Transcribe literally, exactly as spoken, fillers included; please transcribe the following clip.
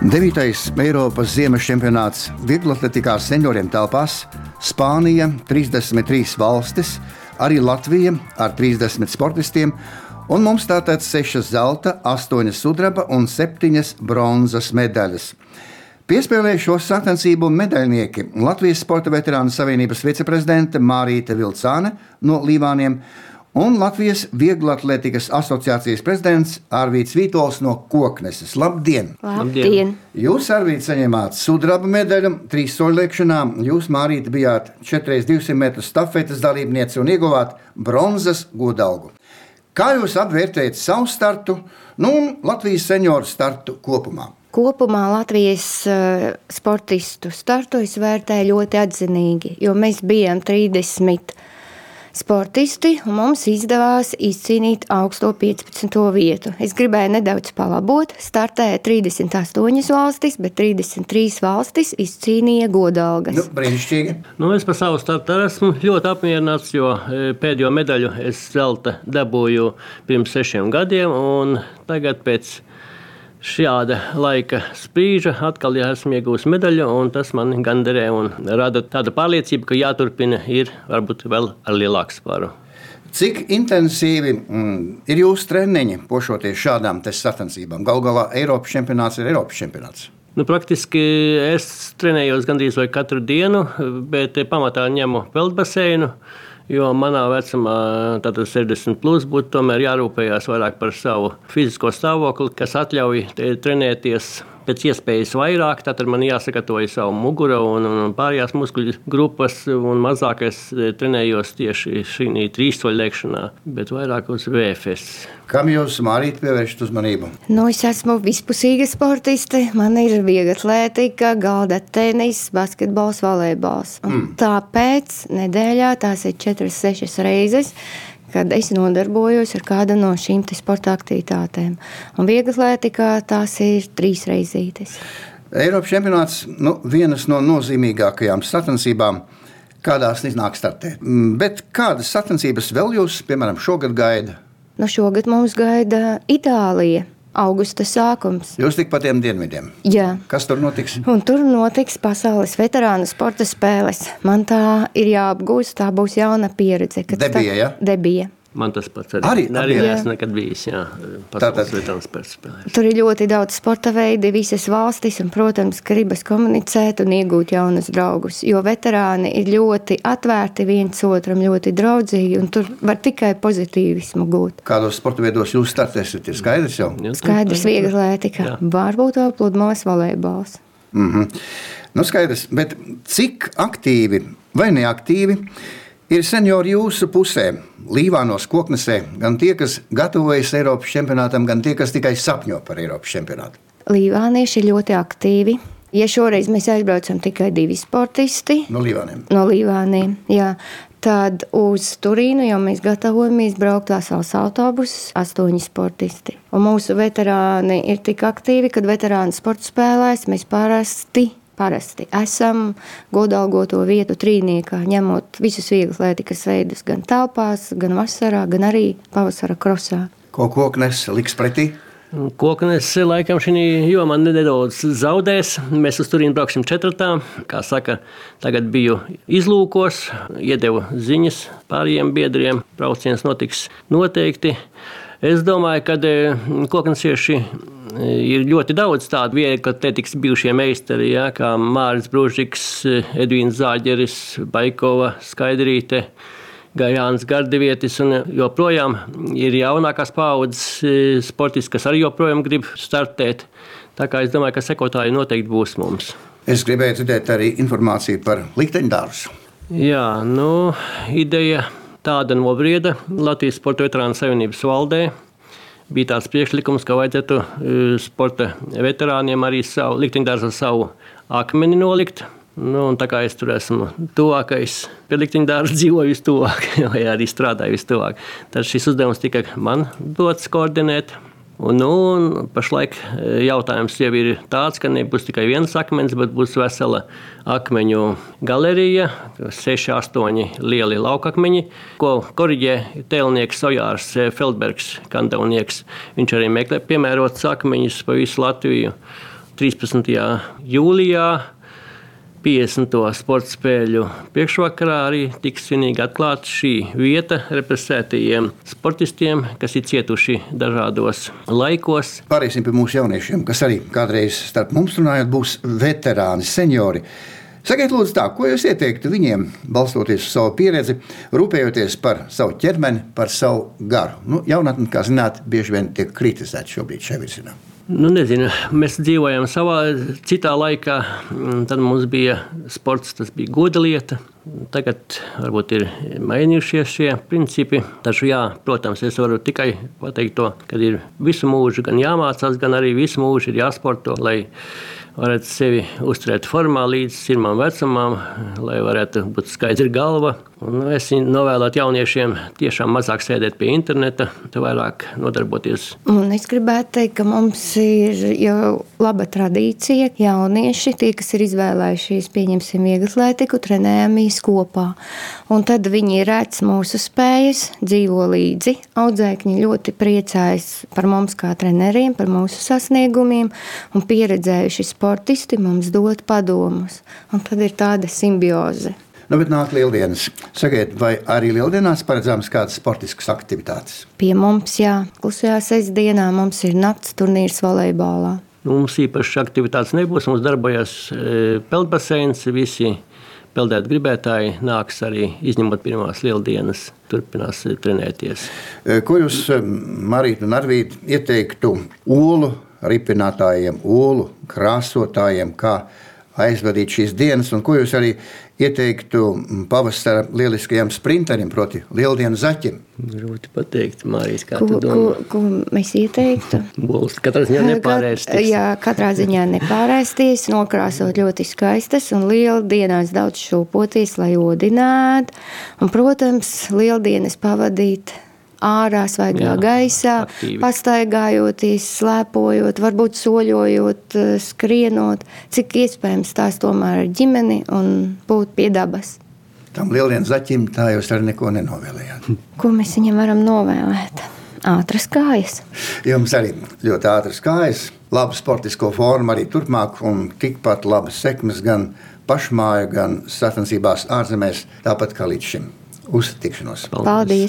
Devītais Eiropas ziemas čempionāts vieglaatletikā senioriem telpās Spānija, trīsdesmit trīs valstis, arī Latvija ar trīsdesmit sportistiem, un mums tātad sešas zelta, astoņas sudraba un septiņas bronzas medaļas. Piespēlēja šo sacensību medaļnieki Latvijas Sporta veterānu savienības viceprezidente Mārīte Vilcāne no Līvāniem un Latvijas Vieglatlētikas asociācijas prezidents Arvīds Vītols no Kokneses. Labdien! Labdien! Jūs, Arvīds, saņēmāt sudraba medaļu trīs soļliekšanā, jūs, Mārīte, bijāt četri reiz divsimt metru stafetes dalībniece un ieguvāt bronzas godalgu. Kā jūs apvērtējat savu startu, nu un Latvijas senioru startu kopumā? Kopumā Latvijas uh, sportistu startu es vērtēju ļoti atzinīgi, jo mēs bijām trīsdesmit sportisti un mums izdevās izcīnīt augsto piecpadsmito vietu. Es gribēju nedaudz palabot, startēja trīsdesmit astoņas valstis, bet trīsdesmit trīs valstis izcīnīja godalgas. Nu, brīnišķīgi. Nu, es par savu startu esmu ļoti apmierināts, jo pēdējo medaļu es zelta dabūju pirms sešiem gadiem, un tagad pēc šāda laika sprīža atkal ja esmu iegūs medaļu, un tas man gandarē un rada tādu pārliecību, ka jāturpina ir varbūt vēl ar lielāku svaru. Cik intensīvi mm, ir jūsu treniņi pošoties šādām sacensībām? Galu galā Eiropas čempionāts ir Eiropas čempionāts. Nu, praktiski es trenējos gandrīz vai katru dienu, bet pamatā ņemu peldbaseinu, jo manā vecumā, tātad sešdesmit plus, būtu tomēr jārūpējās vairāk par savu fizisko stāvokli, kas atļauj trenēties pēc iespējas vairāk. Tātad man jāsagatavoja savu muguru un, un pārējās muskuļu grupas, un mazāk es trenējos tieši šī trīssoļliekšanā, bet vairāk uz V F S. Kam jūs, Mārīt, pievēršat uzmanību? Nu, es esmu vispusīga sportiste. Man ir vieglatlētika, galda tenis, basketbols, volejbols. Mm. Tāpēc nedēļā tās ir četras, sešas reizes, kad es nodarbojos ar kādu no šīm sporta aktivitātēm. Un vieglatlētikā tās ir trīs reizītes. Eiropas čempionāts, nu, vienas no nozīmīgākajām sacensībām, kādās iznāk startēt. Bet kādas sacensības vēl jūs, piemēram, šogad gaida? Nu, šogad mums gaida Itālija. Augusta sākums. Jūs tik pa tiem dienvidiem? Jā. Kas tur notiks? Un tur notiks pasaules veterānu sporta spēles. Man tā ir jāapgūst, tā būs jauna pieredze. Debija, ja? Debija. Man tas pats arī, arī, arī esmu nekad bijis, jā, pasaules veterānu sporta spēlēs. Tur ir ļoti daudz sporta veidi, visas valstis, un, protams, gribas komunicēt un iegūt jaunus draugus, jo veterāni ir ļoti atvērti viens otram, ļoti draudzīgi, un tur var tikai pozitīvismu gūt. Kādos sporta veidos jūs startēsiet, ir skaidrs jau? Skaidrs, vieglatlētika, varbūt vēl pludmales volejbols. Mm-hmm. Nu, skaidrs, bet cik aktīvi vai neaktīvi ir seniori jūsu pusē, Līvānos, Koknesē, gan tie, kas gatavojas Eiropas čempionātam, gan tie, kas tikai sapņo par Eiropas čempionātu? Līvānieši ir ļoti aktīvi. Ja šoreiz mēs aizbraucam tikai divi sportisti no Līvāniem, no Līvāniem, jā, tad uz Turīnu jau mēs gatavojamies braukt vesels autobuss, astoņi sportisti. Un mūsu veterāni ir tik aktīvi, kad veterāni sporta spēlēs mēs parasti Parasti esam godalgoto vietu trīniekā, ņemot visus vieglatlētikas veidus gan telpās, gan vasarā, gan arī pavasara krosā. Ko Koknes liks pretī? Koknes laikam šī jomā nedaudz zaudēs. Mēs uz Turīnu brauksim četratā. Kā saka, tagad biju izlūkos, iedevu ziņas pārējiem biedriem. Brauciens notiks noteikti. Es domāju, ka koknesieši ir ļoti daudz tādu vieglatlētikas bijušie meistari, ja, kā Māris Bružiks, Edvīns Zāģeris, Baikova, Skaidrīte, Gajāns Gardevietis, un joprojām ir jaunākās paaudzes sportisti, kas arī joprojām grib startēt. Tā kā es domāju, ka sekotāji noteikti būs mums. Es gribēju dzirdēt arī informāciju par likteņdārzu. Jā, nu, ideja tāda nobrieda Latvijas Sporta veterānu savienības valdē. Bija tāds priekšlikums, ka vajadzētu sporta veterāniem arī savu likteņdārzu savu akmeni nolikt. Nu, un tā kā es tur esmu tuvākais, pie likteņdārza dzīvoju vistuvāk, vai arī strādāju vistuvāk, tad šis uzdevums tika man dots koordinēt. Un, nu, un pašlaik jautājums jau ir tāds, ka nebūs tikai viens akmens, bet būs vesela akmeņu galerija, seši, astoņi lieli laukakmeņi, ko koriģē tēlnieks Ojārs Feldbergs, kandavnieks. Viņš arī meklē piemērotus akmeņus pa visu Latviju. trīspadsmitajā jūlijā piecdesmito sporta spēļu priekšvakarā arī tiks svinīgi atklāta šī vieta represētajiem sportistiem, kas ir cietuši dažādos laikos. Pāriesim pie mūsu jauniešiem, kas arī kādreiz starp mums runājot būs veterāni, seniori. Sakiet, lūdzu, tā, ko jūs ieteiktu viņiem, balstoties uz savu pieredzi, rūpējoties par savu ķermeni, par savu garu? Nu, jaunatni, kā zināt, bieži vien tiek kritizēti šobrīd šajā virzienā. Nu, nezinu, mēs dzīvojam savā citā laikā, tad mums bija sports, tas bija goda lieta. Tagad varbūt ir mainījušies šie principi. Taču jā, protams, es varu tikai pateikt to, ka ir visu mūžu gan jāmācās, gan arī visu mūžu ir jāsporto, lai varētu sevi uzturēt formā līdz sirmām vecumam, lai varētu būt skaidra galva. Un es novēlētu jauniešiem tiešām mazāk sēdēt pie interneta, vairāk nodarboties. Un es gribētu teikt, ka mums ir jau laba tradīcija. Jaunieši, tie, kas ir izvēlējušies, pieņemsim vieglatlētiku, trenējamies kopā. Un tad viņi redz mūsu spējas, dzīvo līdzi. Audzēkņi ļoti priecājas par mums kā treneriem, par mūsu sasniegumiem, un pieredzējuši sportisti mums dod padomus. Un tad ir tāda simbioze. Nu, bet nāk lieldienas. Sakiet, vai arī lieldienās paredzams kādas sportiskas aktivitātes? Pie mums, jā. Klusajā sestdienā mums ir nakts turnīrs volejbolā. Mums īpaši aktivitātes nebūs. Mums darbojas peldbaseins. Visi peldēt gribētāji nāks arī, izņemot pirmās lieldienas, turpinās trenēties. Ko jūs, Marīta un Arvīd, ieteiktu olu ripinātājiem, olu krāsotājiem, kā aizvadīt šīs dienas, un ko jūs arī ieteiktu pavasara lieliskajam sprinterim, proti lieldienu zaķim? Grūti pateikt, Mārijas, kā ko, tu domā? Ko, ko mēs ieteiktu? Bols katrā ziņā nepārēsties. Jā, katrā ziņā nepārēsties, nokrāsot ļoti skaistas un lieldienās daudz šūpoties, lai odinātu. Un, protams, lieldienas pavadīt ārā, svaigā gaisā, aktīvi. Pastaigājoties, slēpojot, varbūt soļojot, skrienot, cik iespējams tās tomēr ar ģimeni un būt pie dabas. Tam lieldienu zaķim tā jūs arī neko nenovēlējāt. Ko mēs viņam varam novēlēt? Ātras kājas. Jums arī ļoti ātras kājas, labu sportisko formu arī turpmāk un tikpat labas sekmes gan pašmāju, gan sacensībās ārzemēs, tāpat kā līdz šim. Uz tikšanos. Paldies!